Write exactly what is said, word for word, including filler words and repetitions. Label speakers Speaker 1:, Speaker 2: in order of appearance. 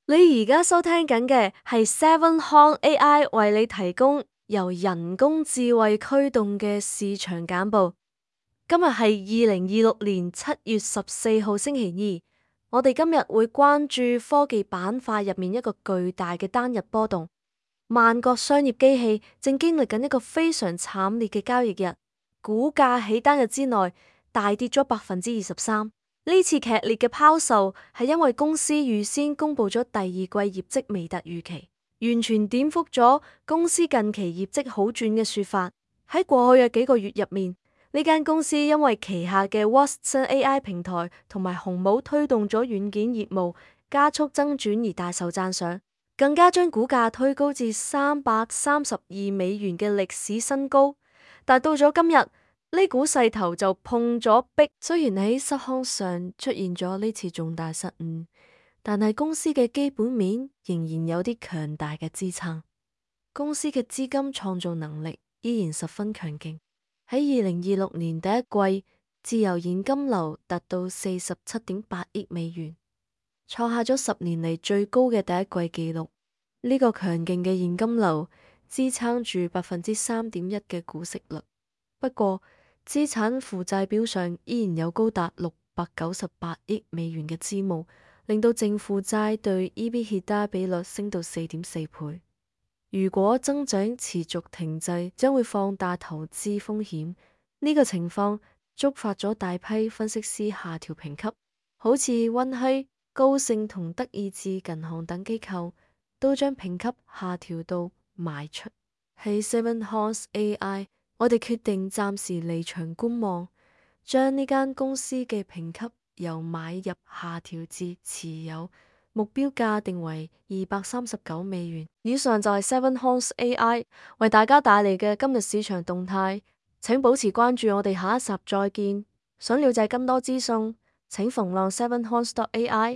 Speaker 1: 你而家收聽緊嘅係 Seven Hon A I 為你提供由人工智慧驅動嘅市場簡報。今日係二零二六年七月十四號星期二，我哋今日會關注科技板塊入面一個巨大嘅單日波動。萬國商業機器正經歷緊一個非常慘烈嘅交易日，股價喺單日之內大跌咗百分之二十三。呢次劇烈嘅拋售係因為公司預先公布咗第二季業績未達預期，完全顛覆咗公司近期業績好轉嘅說法。喺過去嘅幾個月入面，呢間公司因為旗下嘅 Watson A I 平台同埋紅帽推動咗軟件業務加速增長而大受讚賞，更加將股價推高至三百三十二美元嘅歷史新高。但到咗今日，呢股勢頭就碰咗壁。雖然喺失康上出現咗呢次重大失誤，但係公司嘅基本面仍然有啲強大嘅支撐。公司嘅資金創造能力依然十分強勁。喺二零二六年第一季，自由現金流達到四十七點八億美元，創下咗十年嚟最高嘅第一季紀錄。呢、這個強勁嘅現金流支撐住百分之三點一嘅股息率。不過，資產負債表上依然有高達六百九十八億美元嘅債務，令到淨負債對 EBITDA 比率升到四點四倍。如果增長持續停滯，將會放大投資風險。呢、這個情況觸發咗大批分析師下調評級，好似溫熙、高盛同德意志銀行等機構都將評級下調到賣出。喺 Seven Hon A I，我哋決定暫時離場觀望，將呢間公司嘅評級由買入下調至持有，目標價定為二百三十九美元。以上就係 Seven Hon A I 為大家帶嚟嘅今日市場動態，請保持關注，我哋下一集再見。想了解更多資訊，請逢浪 Seven Hon A I。